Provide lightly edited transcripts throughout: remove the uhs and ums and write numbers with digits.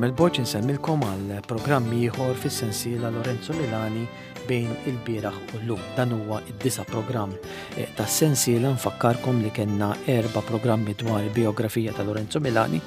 Carmel Borg insemmilkom għal programm ieħor fis-sensiela Lorenzo Milani bejn il-bieraħ u llum. Dan huwa id-disa programm eh, tas-sensiela nfakkarkom li kellna erba' programmi dwar il-biografija ta' Lorenzo Milani,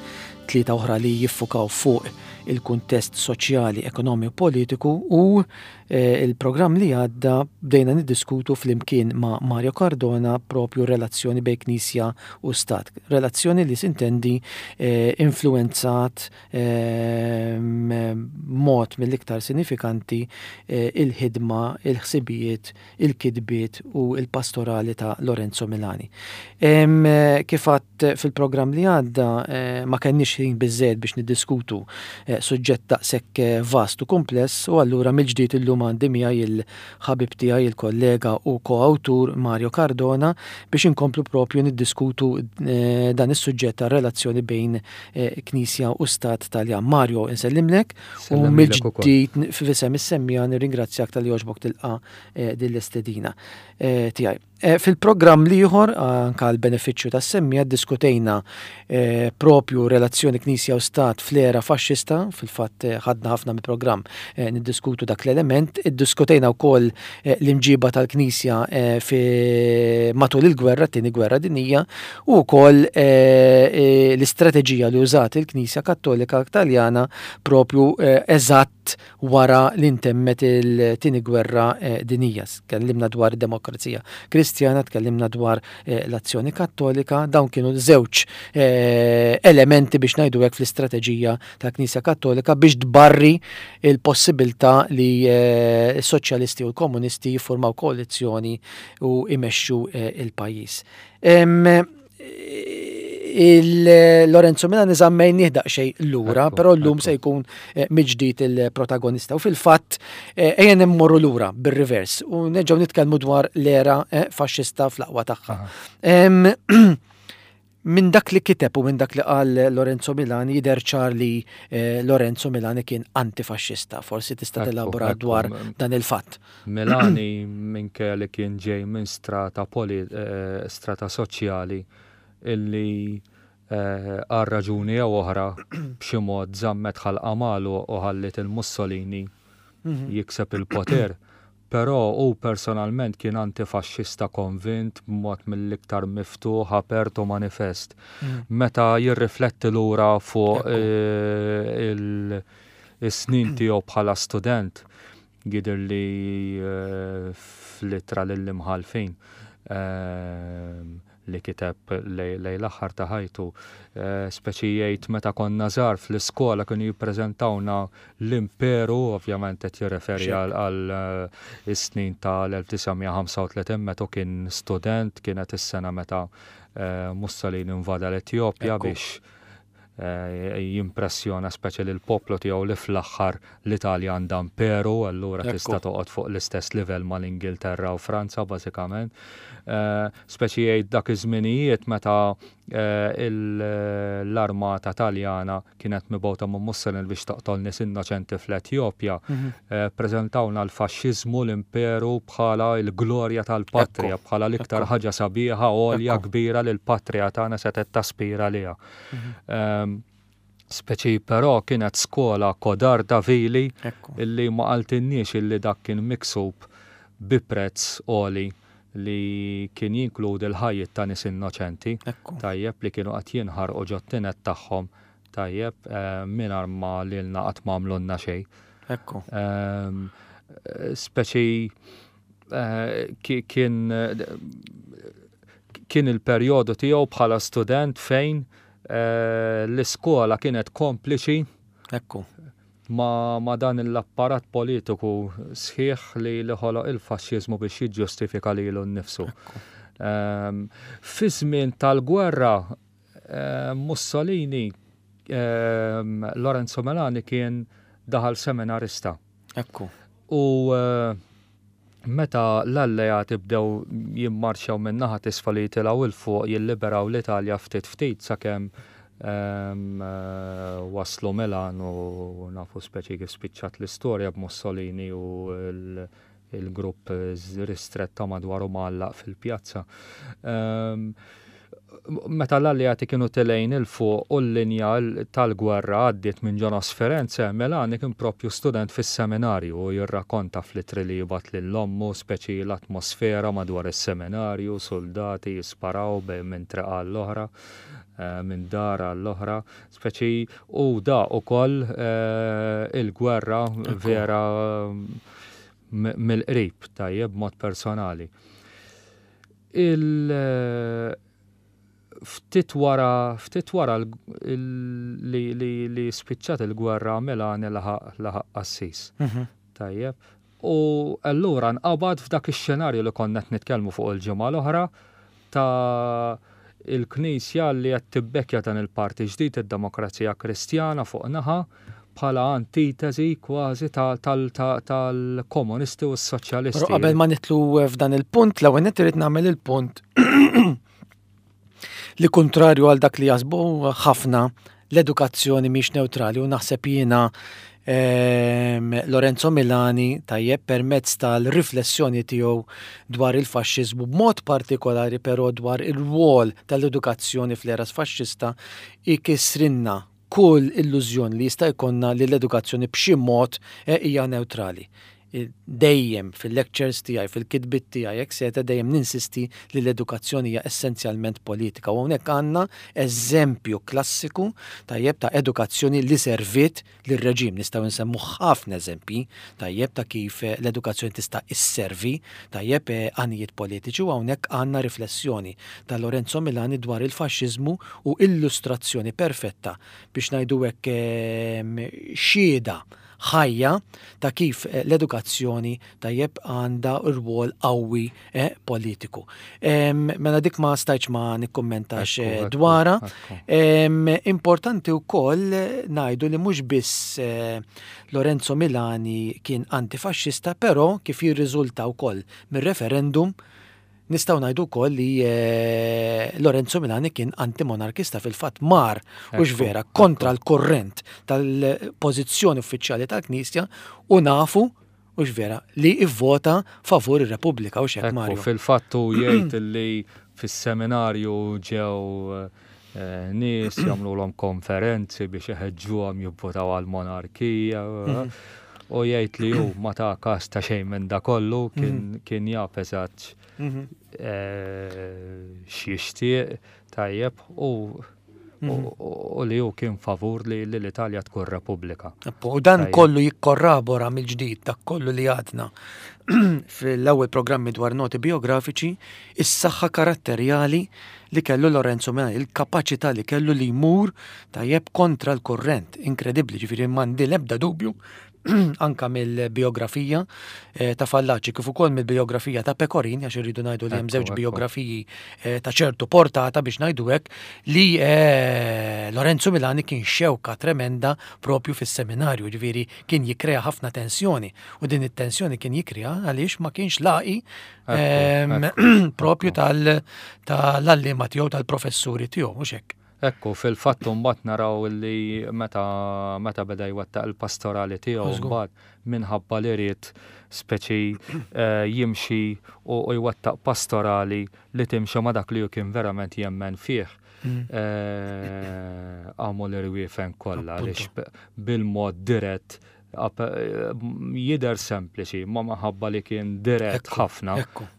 tlieta oħra li jiffukaw fuq il-kuntest soċjali, ekonomiku u politiku u eh, il-programm li għadda bdejna niddiskutu flimkien ma' Mario Cardona propju relazzjoni bejn Knisja u Stat. Relazzjoni li sintendi eh, influenzat eh, mod mill-iktar sinifikanti il-ħidma, il-ħsibijiet, il-kitbiet u il-pastorali ta' Lorenzo Milani. Kif għadt fil-programm li għadda eh, ma kenniex ħin biżżejjed biex niddiskutu eh, suġġett daqshekk eh, vast u kumpless u allura mill-ġdid illum għandi miegħi il-ħabib tiegħi il-kollega u koawtur Mario Cardona biex inkomplu propju niddiskutu dan is-suġġett tar-relazzjoni bejn Knisja u Stat Taljan. Mario, insellimlek u mill-ġdid f'isem is-semmija nirringrazzjak tal-li għoġbok tilqa' din l-istedina tiegħi. Eh, fil-programm liħor, anka għal benefiċċju tas-semmija, diskutejna eh, propju relazzjoni Knisja u Stat fl-era faxxista, fil-fatt eh, ħadna ħafna mill-programm niddiskutu dak l-element, iddiskutejna wkoll l-imġiba tal-Knisja fi matul il-gwerra, t-tieni gwerra dinija, u wkoll l-istrateġija li użat il-Knisja Kattolika Taljana propju eżatt wara li ntemmet il-tieni gwerra dinija. Tkellimna dwar id-demokrazija Kristjana, tkellimna dwar eh, l-azzjoni kattolika, dawn kienu żewġ eh, elementi biex ngħidu hekk fl-istrateġija tal-Knisja Kattolika biex tbarri il-possibilità li eh, s-soċjalisti u l-komunisti jiffurmaw koalizzjoni u imexxu il-pajjiż. Il-Lorenzo Milani zammejn daqsxejn lura, però llum se jkun eh, mill-ġdid il-protagonista. U fil-fatt eh, ejja immorru lura bir-rivers u nerġgħu nitkellmu dwar l-era eh, faxxista fl-aqwa tagħha. Minn dak li kiteb u minn dak li qal Lorenzo Milani jidher ċar li Lorenzo Milani kien antifaxxista. Forsi tista' telabora dwar dan il-fatt. Milani minkejja li kien ġej minn strata poli eh, strata soċjali illi eh, għal raġuni jew oħra b'xi mod żammet ħalqa magħluq u ħalliet il-Mussolini mhm. jikseb il-poter. Però hu personalment kien antifaxxista konvint b'mod mill-iktar miftuħ, apert u manifest. Mm. Meta jirrifletti lura fuq eh, il-snin tiegħu bħala student, Jidher li fl-ittra lill-imħallfin li kiteb lejn l-aħħar ta' ħajtu, speċi jgħid meta konna żgħar fl-iskola kienu jippreżentawna l-imperu, ovvjament qed jirreferi għal is-snin tal-1935 meta kien student, kienet is-sena meta Mussolini invada l-Etjopja biex jimpressjona speċi lill-poplu tiegħu li fl-aħħar l-Italja għandha imperu, allura tista' toqgħod fuq l-istess livell mal-Ingilterra u Franza bażikament. Speċi jgħid dak iż-żminijiet meta l-armata Taljana kienet mibgħuta minn Mussolini biex toqtol nies innoċenti fl-Etjopja, ppreżentawna l-faxxiżmu, l-imperu bħala l-glorja tal-patrija, bħala l-iktar ħaġa sabiħa, għolja, kbira li l-patrija tagħna setgħet taspira għaliha. Ehm, speċi però kienet skola kodarda vili illi ma qaltinniex illi dak kien miksub bi prezz għoli li kien jinkludi l-ħajjiet ta' nies innoċenti, tajjeb li kienu qed jinħarqu ġot-tined tagħhom, tajjeb, eh, mingħajr ma lilna qatt ma għamlulna xejn. Ekku. Ehm, speċi eh, kien Kien il-perjodu tiegħu bħala student fejn eh, l-iskola kienet kompliċi Ekku. Ma, ma dan l-apparat politiku sħiħ li li ħoloq il-faxxiżmu biex jiġġustifika lilu nnifsu. Ehm, fi żmien tal-gwerra eh, Mussolini ehm, Lorenzo Melani kien daħal seminarista. Ekku. U eh, Meta l-Alleati bdew jimmarċjaw min-naħa t'isfel u jitilgħu 'l fuq jilliberaw l-Italja ftit ftit sakemm waslu Milan u nafu speċi kif spiċċat l-istorja b'Mussolini u l-grupp ristrett ta' madwaru mgħallaq fil-pjazza. Meta l-Alleati kienu telgħin 'il fuq u l-linja tal-gwerra għaddiet minn ġo nofs Firenze, Melani kien proprju student fis-seminarju u jirrakonta fl-ittri li jibgħat lil ommu speċi l-atmosfera madwar is-seminarju, suldati jisparaw bejn minn triq għall-oħra, minn dar għall-oħra, speċi u daq ukoll il-gwerra vera mill-qrib, tajjeb, b'mod personali. Il ftit wara ftit wara li li li spiċċat il-gwerra Melani laħaq laħaq qassis. Mhm. Tajjeb. U allura nqabad f'dak ix-xenarju li konna qed nitkellmu fuq il-ġimgħa l-oħra ta' il-Knisja li qed tibbekkja dan il-parti ġdid id-Demokrazija Kristjana fuq naħa bħala antitesi kważi tal-komunisti u s-soċjalisti. Però qabel ma nitlu f'dan il-punt, l-ewwel nett irid nagħmel il-punt li kontrarju għal dak li jasbu ħafna l-edukazzjoni mhix neutrali u naħseb jiena ehm, Lorenzo Milani tajjeb permezz tal-riflessjoni tiegħu dwar il-faxxiżmu b'mod partikolari però dwar ir-rwol tal-edukazzjoni fl-era faxxista ikisrinna kull illużjoni li jista' jkollna li l-edukazzjoni b'xi mod eh, hija neutrali. Dejjem fil-lectures tiegħi, fil-kitbiet tiegħi, etc., dejjem ninsisti li l-edukazzjoni hija essenzjalment politika. U hawnhekk għandna eżempju klassiku tajjeb ta' edukazzjoni li serviet lir-reġim. Nistgħu nsemmu ħafna eżempji tajjeb ta' kif eh, l-edukazzjoni tista' isservi tajjeb eh, għanijiet politiċi u hawnhekk għandna riflessjoni ta' Lorenzo Milani dwar il-faxxiżmu u illustrazzjoni perfetta biex ngħidu hekk ehm, xhieda ħajja ta' kif eh, l-edukazzjoni tajjeb għandha rwol qawwi eh, politiku. Ehm, mela dik ma stajtx ma nikkummentax eh, dwarha. Ehm, importanti wkoll ngħidu li mhux biss Lorenzo Milani kien antifaxxista, però kif jirriżulta wkoll mir-referendum Nistgħu ngħidu wkoll li eh, Lorenzo Milani kien antimonarkista fil-fatt mar u vera kontra l-kurrent tal-pożizzjoni uffiċjali tal-Knisja u nafu u vera li ivvota favur ir-Repubblika u xek Mario. Fil-fatt hu jgħid li fis-seminarju ġew eh, nies jagħmluhom konferenzi biex iħeġġuhom jivvotaw għall-monarkija. Mhm. U jgħid li hu ma ta kas ta' xejn minn da kollu kien mhm. kien jaf eżatt mhm. eh, x'jixtieq tajjeb u mhm. u li hu kien favur li l-Italja tkun Repubblika. U dan kollu jikkorrabora mill-ġdid dak kollu li għadna fl-ewwel programmi dwar noti biografiċi, is-saħħa karatterjali li kellu Lorenzo Milani, il-kapaċità li kellu li jmur tajjeb kontra l-kurrent, inkredibbli, ġifieri m'għandi l-ebda dubju anka mill-biografija eh, ta' Fallaci kif ukoll mill-biografija ta' Pecorini għax irridu ngħidu li hemm żewġ biografiji eh, ta' ċertu portata biex ngħidu hekk li eh, Lorenzo Milani kien xewka tremenda propju fis-seminarju, ġifieri kien jikkrea ħafna tensjoni u din it-tensjoni kien jikkrea għaliex ma kienx laqi ehm, propju tal-allima tiegħu tal-professuri tiegħu mhux hekk. Ekku, fil-fatt mbagħad naraw li meta meta beda jwettaq il-pastorali tiegħu mbagħad minħabba li ried speċi eh, jimxi u jwettaq pastorali li timxi ma dak li hu kien verament jemmen fih. Mm. Eh, għamu l-irwiefen kollha għaliex bil-mod dirett eh, jidher sempliċi, ma maħabba li kien dirett ħafna.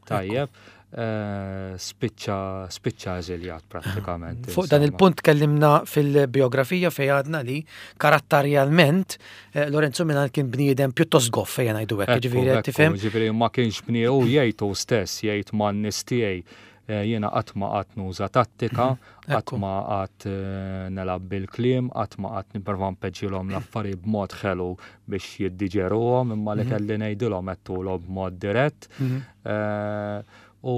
Tajjeb, eh, spiċċa spiċċa eżiljat prattikament. Fuq dan il-punt kellimna fil-biografija fej għadna li karatterjalment Lorenzo Milan kien bniedem pjuttost goff fejn ngħidu hekk, ġifieri tifhem. Ġifieri ma kienx bniedem u jgħid hu stess jgħid man-nies tiegħi Eh, jiena qatt ma qatt nuża tattika, mhm. qatt ma qatt eh, nelab bil-kliem, qatt ma qatt nipprova npeġġilhom l-affarijiet b'mod ħelu biex jiddiġeruhom, imma li mhm. kelli ngħidilhom għedtulhom b'mod dirett. Mhm. Eh, u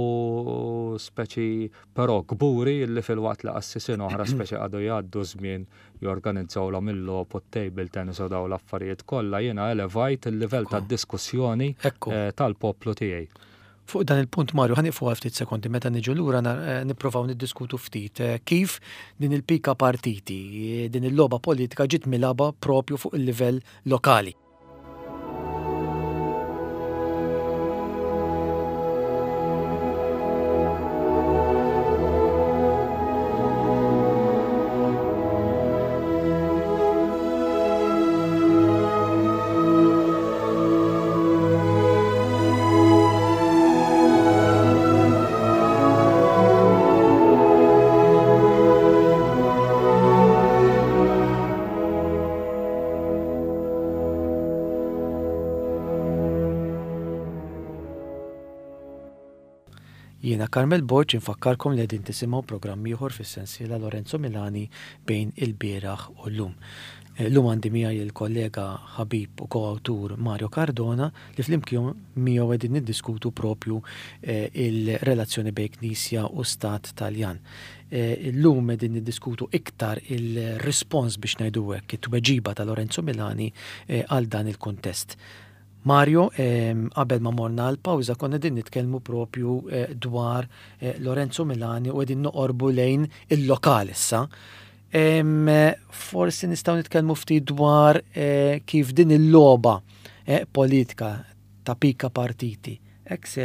speċi però kburi li fil-waqt li qassisin oħra speċi għadu jgħaddu żmien jorganizzawlhom il-logħob u t-table tennis u daw l-affarijiet kollha jiena elevajt il-livell tad-diskussjoni tal-poplu tiegħi. Fuq dan il-punt Mario ħa nieqfu għal ftit sekondi meta niġu lura eh, nipprovaw niddiskutu ftit eh, kif din il-pika partiti, eh, din il-logħba politika ġiet milaba propju fuq il-livell lokali. Jiena Carmel Borg infakkarkom li qegħdin tisimgħu programm ieħor fis-sensiela Lorenzo Milani bejn il-bieraħ u llum. Llum għandi miegħi il-kollega ħabib u koawtur Mario Cardona li flimkien miegħu qegħdin niddiskutu propju il-relazzjoni bejn Knisja u Stat Taljan. Illum qegħdin niddiskutu iktar il-rispons biex ngħidu hekk, it-tweġiba ta' Lorenzo Milani għal dan il-kuntest. Mario, qabel ma morna għal pawża konna qegħdin nitkellmu propju dwar Lorenzo Milani u qegħdin noqorbu lejn il-lokal issa. Forsi nistgħu nitkellmu ftit dwar kif din il-logħba politika ta' pika partiti, etc.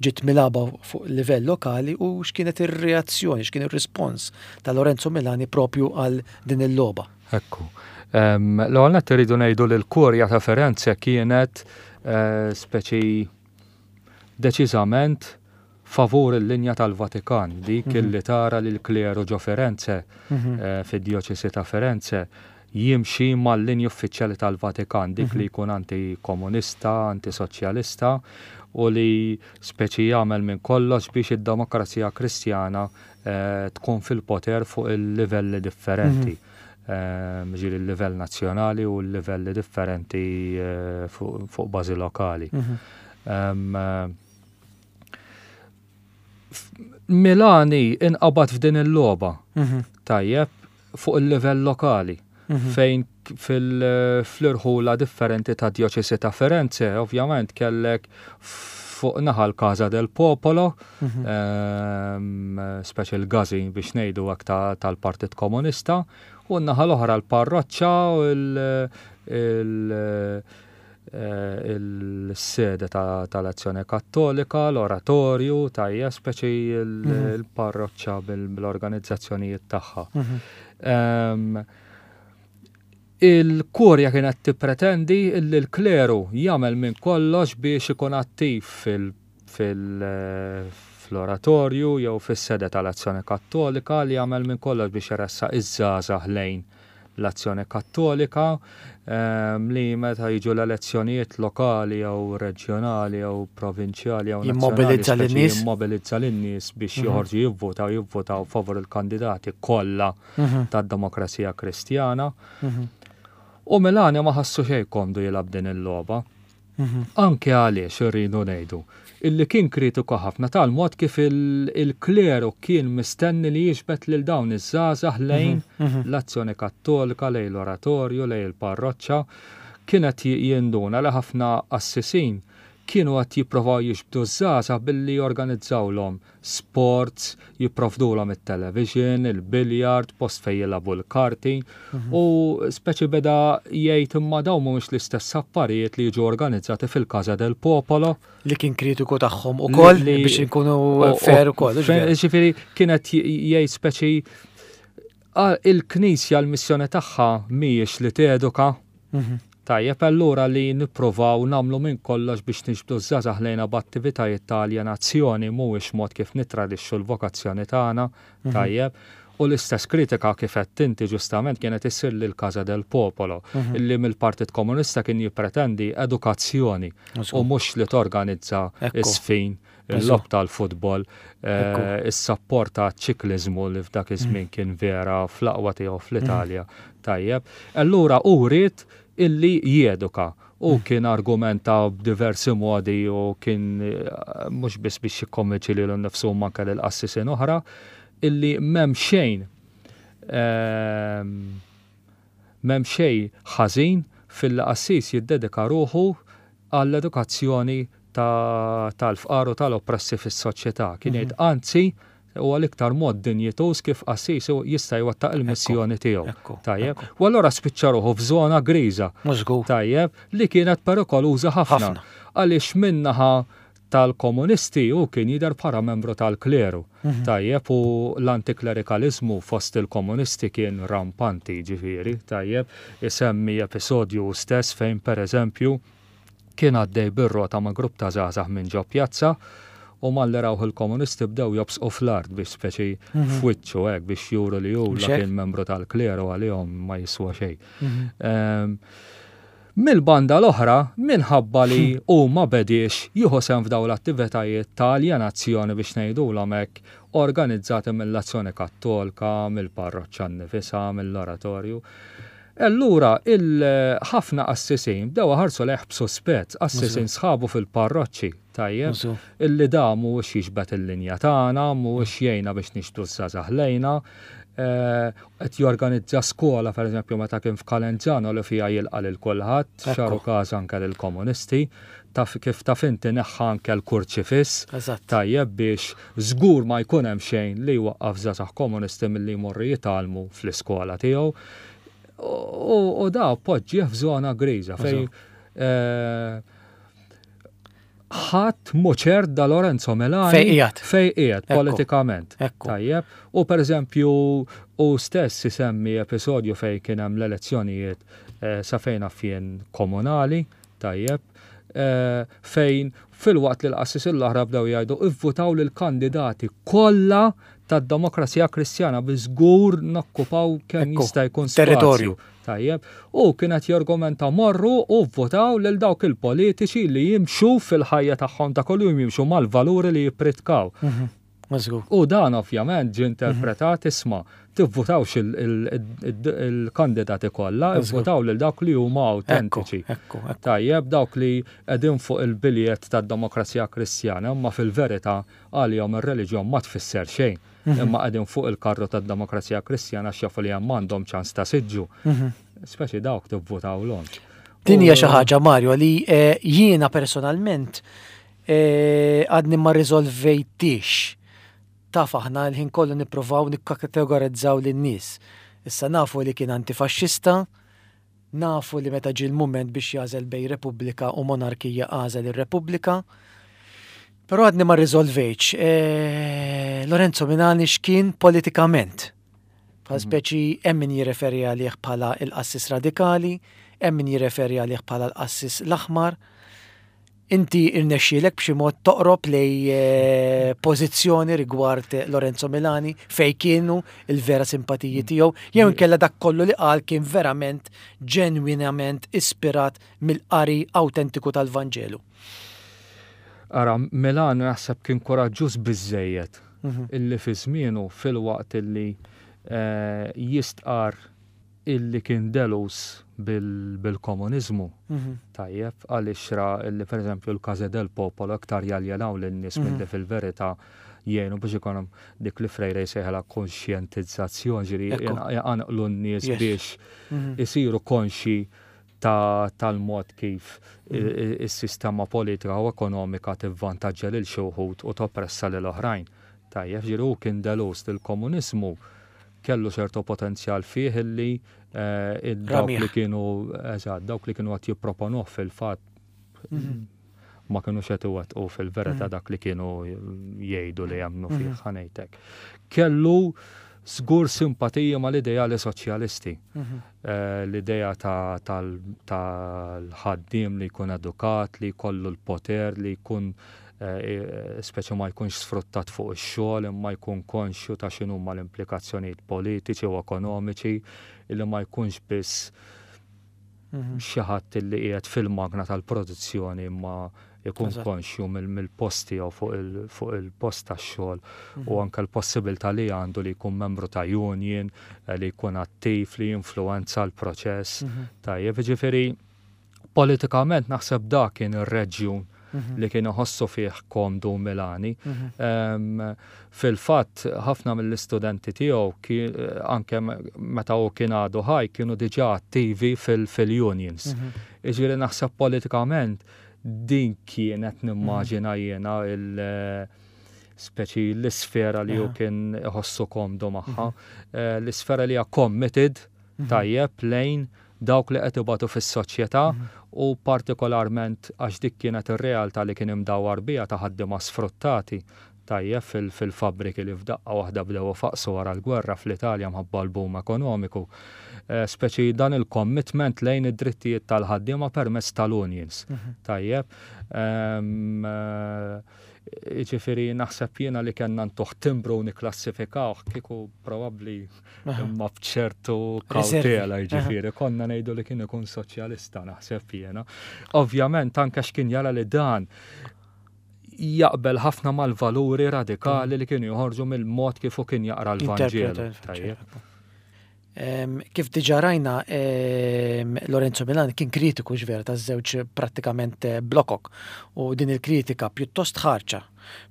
ġiet milgħuba fuq livell lokali u x'kienet ir-reazzjoni, x'kien ir-rispons ta' Lorenzo Milani propju għal din il-logħba. Ekku. L-ewwel nett irridu ngħidu li l-Kurja ta' Firenze kienet speċi deċiżament favur il-linja tal-Vatikan, dik illi tara li l-kleru ġo Firenze, fid-djoċesi ta' Firenze, jimxi mal-linji uffiċjali tal-Vatikan, dik li jkun anti-komunista, anti-soċjalista u li speċi jagħmel minn kollox biex id-demokrazija Kristjana tkun fil-poter fuq il-livelli differenti. Ġieli l-livell nazzjonali u l-livelli differenti fuq bażi lokali. Milani inqabad f'din il-logħba. Tajjeb, fuq il-livell lokali. Fejn fl-irħula differenti ta' djoċesi ta' Firenze, ovvjament kellek fuq naħa l-Casa del Popolo, speċi l-gazi biex ngħidu hekk tal-Partit Komunista, u n-naħa l-oħra l-parroċċa u il-sede tal-Azzjoni Kattolika, l-oratorju, tajja, speċi l-parroċċa bil-organizzazzjonijiet tagħha. Il-kurja kienet tippretendi li l-kleru jagħmel minn kollox biex ikun attiv fil-oratorju jew fis-sede tal-Azzjoni Kattolika, li jagħmel minn kollox biex iressaq iż-żgħażagħ lejn l-Azzjoni Kattolika, li meta jiġu l-elezzjonijiet lokali jew reġjonali jew provinċjali jew jimmobilizza lin-nies, jimmobilizza lin-nies biex joħorġu jivvotaw, jivvotaw favur il-kandidati kollha tad-Demokrazija Kristjana. U Milani ma ħassu xejn komdu jilgħab din il-logħba. Anke għaliex irridu ngħidu illi kien kritiku ħafna tal-mod kif il-kleru kien mistenni li jiġbed lil dawn iż-żgħażagħ lejn l-Azzjoni Kattolika, lejn l-oratorju, lejn il-parroċċa. Kien qed jinduna li ħafna qassisin kienu qed jipprovaw jiġbdu ż-żgħażagħ billi jorganizzawlhom sports, jipprovdulhom it-television, il-billiard, post fejn jilagħbu l-karti u speċi beda jgħid imma dawn mhumiex l-istess affarijiet li jiġu organizzati fil-Casa del Popolo. Li kien kritiku tagħhom ukoll biex inkunu fair ukoll. Ġifieri kienet jgħid speċi il-Knisja l-missjoni tagħha mhijiex li teduka. Tajjeb allura li nippruvaw nagħmlu minn kollox biex niġbdu ż-żgħażagħ lejna b'attivitajiet ta' aljenazzjoni mhuwiex mod kif nittradixxu l-vokazzjoni tagħna, tajjeb. U l-istess kritika kif għedt inti ġustament kienet issir lil Casa del Popolo, illi mill-Partit Komunista kien jippretendi edukazzjoni u mhux li torganizza ż-żfin, il-logħob tal-futbol, is-sapport għaċ-ċikliżmu li f'dak iż-żmien kien vera fl-aqwa tiegħu fl-Italja. Tajjeb. Allura hu ried illi jeduka u kien argumenta b'diversi modi u kien mhux biss biex jikkonvinċi lilu nnifsu imma anke lil qassisin oħra illi m'hemm xejn m'hemm xejn ħażin filli qassis jiddedika ruħu għall-edukazzjoni tal-fqar u tal-oppressi fis-soċjetà. Kien jgħid anzi huwa l-iktar mod dinjituż kif qassis jista' jwettaq il-missjoni tiegħu. Tajjeb. U allura spiċċa ruħu f'żona griża. Tajjeb, li kienet perikoluża ħafna. Għaliex min-naħa tal-komunisti hu kien jidher bħala membru tal-kleru. Tajjeb, u l-antiklerikaliżmu fost il-komunisti kien rampanti, ġifieri, tajjeb, isemmi episodju hu stess fejn pereżempju kien għaddej bir-rota ma' grupp ta' żgħażagħ minn ġo pjazza u malli rawh il-komunisti bdew jobsqu fl-art biex speċi f'wiċċu hekk biex juru li hu la kien membru tal-kleru għalihom ma jiswa xejn. Mill-banda l-oħra, minħabba li hu ma bediex jieħu sehem f'dawn l-attivitajiet ta' aljenazzjoni biex ngħidulhom hekk, organizzati mill-Azzjoni Kattolka, mill-parroċċa nnifisha, mill-Oratorju, allura il-ħafna qassisin bdew iħarsu lejh b'suspett, qassisin sħabu fil-parroċċi, tajjeb, illi da mhuwiex jiġbed il-linja tagħna, mhuwiex jgħinna biex nixbdu ż-żgħażagħ lejna, qed jorganizza skola pereżempju meta kien f'Calenzano li fiha jilqa' lil kulħadd, xaru każ anke lill-komunisti, taf kif taf inti neħħa anke l-kurċifiss, tajjeb biex żgur ma jkun hemm xejn li jwaqqaf żgħażagħ komunisti milli jmorru jitgħallmu fl-iskola tiegħu. U da poġġieh f'żona griża fejn ħadd mhu ċert da Lorenzo Milani fejn qiegħed fejn qiegħed politikament. Tajjeb. U pereżempju hu stess isemmi episodju fejn kien hemm l-elezzjonijiet eh, sa fejn jien komunali, tajjeb, eh, fejn filwaqt li l-qassis l-oħra bdew jgħidu ivvutaw lill-kandidati kollha tad-Demokrazija Kristjana bi żgur nokkupaw kemm jista' jkun territorju. Tajjeb. Hu kien qed jargumenta morru u vvotaw lil dawk il-politiċi li jimxu fil-ħajja tagħhom ta' kuljum jimxu mal-valuri li jippritkaw. U dan ovvjament ġie interpretat isma' tivvutawx il-kandidati kollha, ivvutaw lil dawk li huma awtentiċi. Tajjeb, dawk li qegħdin fuq il-biljett tad-Demokrazija Kristjana, imma fil-verità għalihom ir-reliġjon ma tfisser xejn. Imma qegħdin fuq il-karru tad-Demokrazija Kristjana għax jafu li hemm għandhom ċans ta' siġġu. Speċi dawk tivvutawlhomx. Din hija xi ħaġa Mario li eh, jiena personalment eh, għadni ma riżolvejtix. Taf aħna l-ħin kollu nippruvaw nikkategorizzaw lin-nies. Issa nafu li kien antifaxxista, Nafu li meta ġie l-mument biex jagħżel bejn Repubblika u monarkija għażel ir-Repubblika. Però għadni ma rriżolvejtx. E, Lorenzo Minani x'kien politikament. Bħal mhm. speċi hemm min jirreferi għalih bħala il-qassis radikali, hemm min jirreferi għalih bħala l-qassis l-aħmar. Inti irnexxielek b'xi mod toqrob lej eh, pożizzjoni rigward Lorenzo Milani fejn kienu il-vera simpatiji mm. tiegħu jew inkella dak kollu li qal kien verament ġenwinament ispirat mill-qari awtentiku tal-Vanġelu. Ara, Milani naħseb kien kuraġġuż biżejjed mhm. illi fi żmienu filwaqt illi eh, jistqar illi kien delus bil-komuniżmu, tajjeb, għaliex ra illi pereżempju l-Case del Popolo iktar jaljenaw lin-nies milli fil-verità jgħinu biex ikun hemm dik li Freire jsejħilha konxjentizzazzjoni, ġifieri jqanqlu n-nies biex isiru konxji tal-mod kif is-sistema politika u ekonomika tivvantaġġja lil xi wħud u toppressa lil oħrajn. Tajjeb, ġifieri hu kien delus li l-komuniżmu kellu ċertu potenzjal fih illi eh, dawk li kienu eżatt, dawk li kienu qed jipproponuh fil-fatt mhm. ma kienu qed iwettqu fil-verità mhm. dak li kienu jgħidu li jemmnu fih mhm. ħanejtek. Kellu żgur simpatija mal-ideali soċjalisti. Eh, l-idea tal-ħaddiem li jkun edukat, li jkollu l-poter, li jkun eh, speċi ma jkunx sfruttat fuq ix-xogħol imma jkun konxju ta' x'inhuma l-implikazzjonijiet politiċi u ekonomiċi illi ma jkunx biss mhm. xi ħadd illi qiegħed fil-magna tal-produzzjoni imma jkun konxju mill-post tiegħu fuq il-post tax-xogħol u mhm. anke l-possibilità li għandu li jkun membru ta' union, eh, li jkun attiv, li jinfluwenza l-proċess. Mhm. Tajjeb, ġifieri Politikament naħseb dak kien ir-reġjun mhm. li kien iħossu fih komdu Milani. Mhm. Fil-fatt, ħafna mill-istudenti tiegħu anke meta hu kien għadu ħaj kienu diġà attivi fil-unions. Mhm. Iġifieri naħseb politikament din kienet nimmaġina jiena il- speċi l-isfera li hu kien iħossu komdu magħha, eh, l-isfera li hija committed tajjeb lejn dawk li qed ibatu fis-soċjetà u partikolarment għax dik kienet ir-realtà li kien imdawwar biha ta' ħaddiema sfruttati, tajjeb, fil-fabbriki li f'daqqa waħda bdew ifaqqsu wara l-gwerra fl-Italja mħabba l-boom ekonomiku. Speċi dan il-commitment lejn id-drittijiet tal-ħaddiema permezz tal-unions. Tajjeb. Jiġifieri naħseb jiena li kellna ntuh timbru u nikklassifikawh kieku probabbli imma b'ċertu kawtela jiġifieri konna ngħidu li kien ikun soċjalista naħseb jiena. Ovvjament anke x'kien jara li dan jaqbel ħafna mal-valuri radikali li kienu joħorġu mill-mod kif hu kien jaqra l-Vanġelu. Tajjeb. Kif diġa rajna, Lorenzo Milan kien kritiku x'vera taż-żewġ prattikament eh, blokok u din il-kritika pjuttost ħarċa,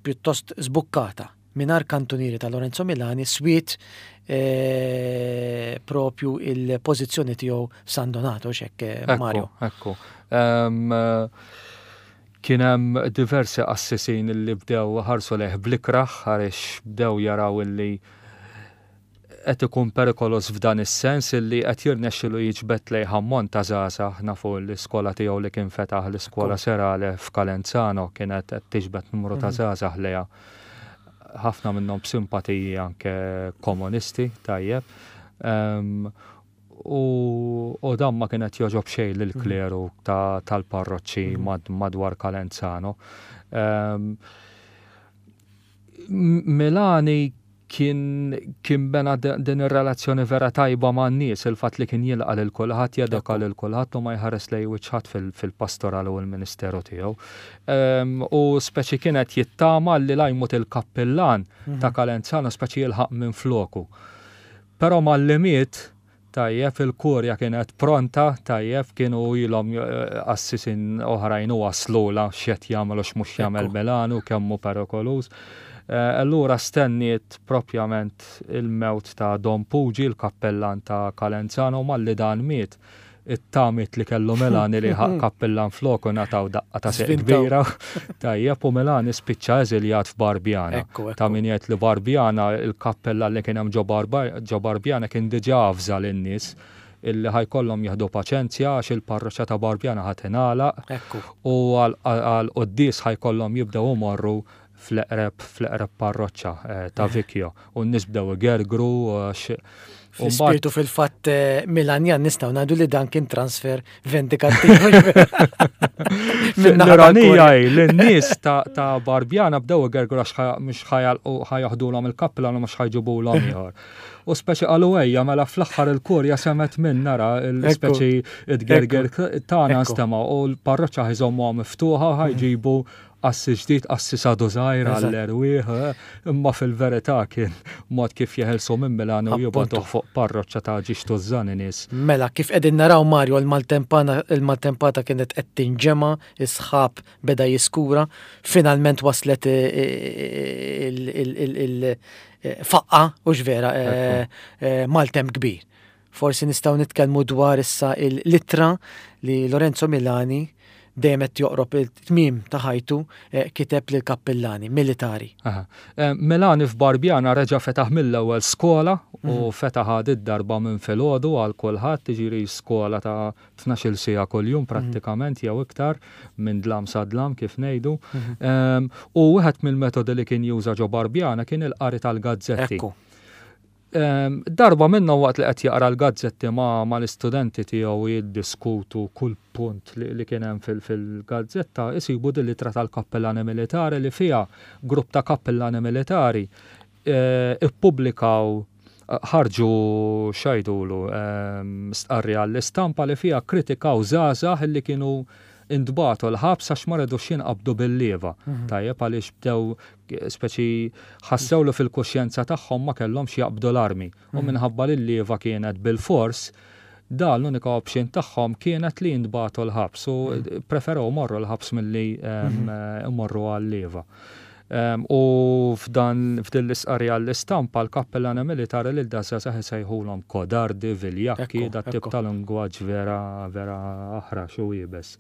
pjuttost żbukkata mingħajr kantunieri ta' Lorenzo Milani swiet eh, propju il-pożizzjoni tiegħu San Donato xek eh, Mario. Ekku. Kien hemm diversi qassisin li bdew ħarsu lejh blikraħ għaliex bdew jaraw illi qed ikun perikoluż f'dan is-sens illi qed jirnexxilu jiġbed lejh ammont ta' żgħażagħ, nafu l-iskola tiegħu li kien fetaħ l-iskola serale f'Calenzano kienet qed tiġbed numru ta' żgħażagħ lejha, ħafna minnhom b'simpatiji anke komunisti, tajjeb. U dan ma kien qed jogħġob xejn lill-kleru tal-parroċċi madwar Calenzano. Milani kien kien bena din ir-relazzjoni vera tajba man-nies, il-fatt li kien jilqa' lil kulħadd, jeduka lil kulħadd u ma jħares lejn wiċċ ħadd fil-pastoral u l-ministeru tiegħu. U speċi kien qed jittama li la jmut il-kappillan ta' Calenzano speċi jilħaq minfloku. Però malli miet, Tajjeb, il-kurja kienet pronta, tajjeb, kienu ilhom qassisin oħrajn u waslulha x'qed jagħmel u x'mhux jagħmel Milanu, kemm hu perikoluż. Allura stenniet propjament il-mewt ta' Don Pugi, il-kappellan ta' Calenzano, u malli dan miet, it-tamiet li kellu Melani li jħaq kappillan floku ngħataw daqqa ta' seq kbira. Tajjeb u Melani spiċċa eżiljat f'Barbjana. Ta' min jgħid li Barbjana il-kappellan li kien hemm ġo Barbjana kien diġà avża lin-nies illi ħajkollhom jieħdu paċenzja għax il-parroċċa ta' Barbjana ħa tingħalaq u għall-quddies ħajkollhom jibdew imorru fl-eqreb fl-eqreb parroċċa eh, ta' eh. Vikjo u n-nies bdew igergru għax Fl-ispirtu fil-fatt eh, Milanjan nistgħu ngħidu li dan kien transfer vendikattiv. L-ironija hi li n-nies ta' Barbjana bdew igergru għax mhux ħajaħdulhom il-kappla u mhux ħajġibulhom ieħor. U speċi qalu ejja mela fl-aħħar il-kurja semet minn nara l-speċi id-gerger tagħna nstema' u l-parroċċa ħiżommuha miftuħa ħajġibu Qassis ġdid, qassis għadu żgħir għall-erwieħ, imma fil-verità kien mod kif jeħilsu minn Milano u jibgħatuh fuq parroċċa ta' ġiex tużżani nies. Mela, kif qegħdin naraw Mario, il-maltempata kienet qed tinġema', is-sħab beda jiskura, finalment waslet il-faqqa, hux vera, maltemp kbir. Forsi nistgħu nitkellmu dwar issa l-ittra li Lorenzo Milani dejjem qed joqrob it-tmiem ta' ħajtu eh, kiteb lil kappillani militari. Eh, Milani f'Barbjana reġa' fetaħ mill-ewwel skola u mhm. fetaħ għad id-darba minn filgħodu għal kulħadd, jiġifieri skola ta' 12-il siegħa kuljum mhm. prattikament jew iktar minn dlam sa dlam kif ngħidu. Mhm. Ehm, u wieħed mill-metodi li kien juża ġo Barbjana kien il-qari tal-gazzetti. Darba minnhom waqt li qed jaqra l-gazzetti ma' mal-istudenti tiegħu u jiddiskutu kull punt li kien hemm fil-gazzetta, isibu din l-ittra tal-kappillani militari li fiha grupp ta' kappillani militari ippubblikaw ħarġu x'għidulu stqarrija għall-istampa li fiha kkritikaw żgħażagħ li kienu intbagħtu l-ħabs għax ma ridux jinqabdu bil-lieva. Tajjeb għaliex bdew speċi ħassew li fil-kuxjenza tagħhom ma kellhomx jaqbdu l-armi. U mhm. minħabba li l-lieva kienet bil-fors, dan l-unika option tagħhom kienet li jintbagħtu l-ħabs u mhm. preferew morru l-ħabs milli mhm. imorru għal-lieva. U f'dan f'din l-isqarja l-istampa l-kappellana militari lil dażgħażagħ isejħulhom kodardi, viljakki, dat tip ta' lingwaġġ vera vera aħrax u iebes.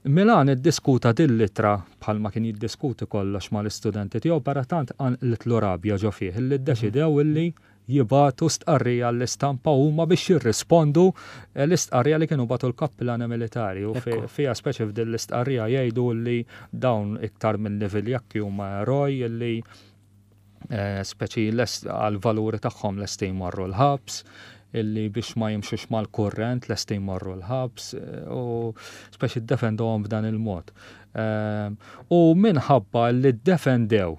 Milan iddiskuta din l-ittra bħalma kien jiddiskuti kollox mal-istudenti tiegħu però tant qanqlitlu rabja ġo fih illi ddeċidew illi jibagħtu stqarrija għall-istampa huma biex jirrispondu l-istqarrija li kienu bagħtu l-kappillani militari u fiha speċi f'din l-istqarrija jgħidu li dawn iktar milli viljakki huma eroj li eh, speċi għal-valuri tagħhom lesti jmorru l-ħabs. illi biex ma jimxux mal-kurrent lesti jmorru l-ħabs u speċi ddefendewhom b'dan il-mod. U minħabba li ddefendew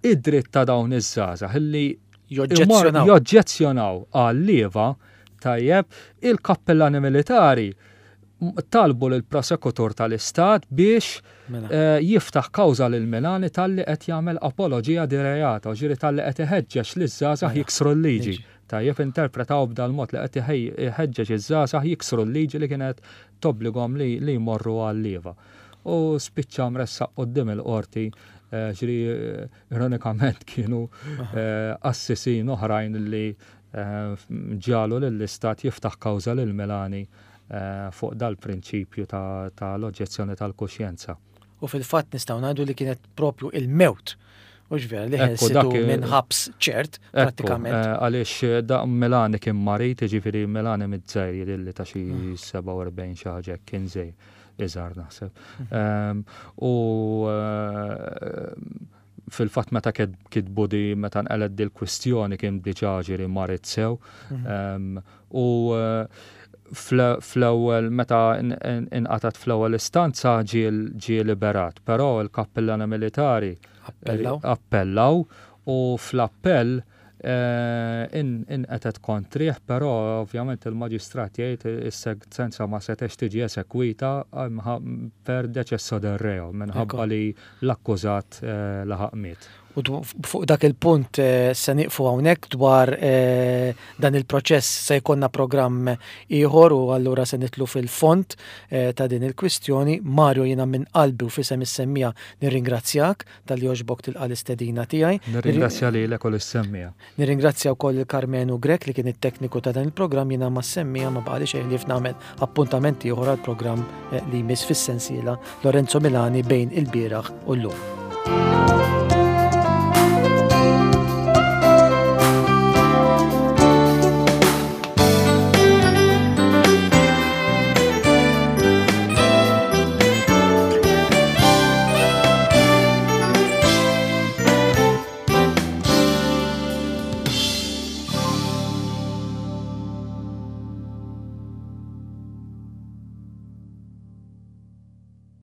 id-dritt ta' dawn iż-żgħażagħ illi joġġezzjonaw għal-lieva, tajjeb, il-kappillani militari talbu lill-prosekutur tal-Istat biex mela. eh, jiftaħ kawża lil Milani talli qed jagħmel apoloġija di reato, ġieri talli qed iħeġġeġ liż-żgħażagħ mela. jiksru l-liġi. Tajjeb interpretaw b'dal-mod li qed iħeġġeġ iż-żgħażagħ jiksru l-liġi li kienet tobblighom li jmorru għal-lieva. U spiċċa mressaq quddiem il-qorti eh, ġri eh, ironikament kienu qassisin oħrajn li ġagħlu lill-Istat jiftaħ kawża lil Milani fuq dal-prinċipju ta' l-oġġezzjoni tal-kuxjenza. U fil-fatt nistgħu ngħidu li kienet propju il-mewt, hux vera, li ħelsitu minn ħabs ċert, prattikament. Għaliex da Milani kien marid, jiġifieri Milani miż-żgħir jidhirli ta' xi 47 xi ħaġa hekk, kien żgħir, iżgħar naħseb. U Fil-fatt meta kitbu di meta nqelet di l-kwistjoni kien diġà ġieri marid sew. Mhm. U eh, fl-ewwel meta inqatat fl-ewwel istanza ġie liberat, però l-kappillana militari appellaw u fl-appell Inqetgħet kontrih, però ovvjament il-maġistrat jgħid is-sentenza ma setgħetx tiġi esekwita per decesso del reo minħabba li l-akkużat laħaq miet. U fuq dak il-punt se nieqfu hawnhekk dwar dan il-proċess se jkollna programm ieħor u allura se nidħlu fil-fond ta' din il-kwistjoni. Mario jiena minn qalbi u f'isem is-semmiegħa nirringrazzjak talli għoġbok tilqa' l-istedina tiegħi. Nirringrazzja lilek u lis-semmiegħa. Nirringrazzja wkoll lil Karmenu Grech li kien it-tekniku ta' dan il-programm jiena mas-semmiegħa ma baqali xejn ħlief nagħmel appuntament ieħor għall-programm eh, li jmiss fis-sensiela Lorenzo Milani bejn il-bieraħ u llum.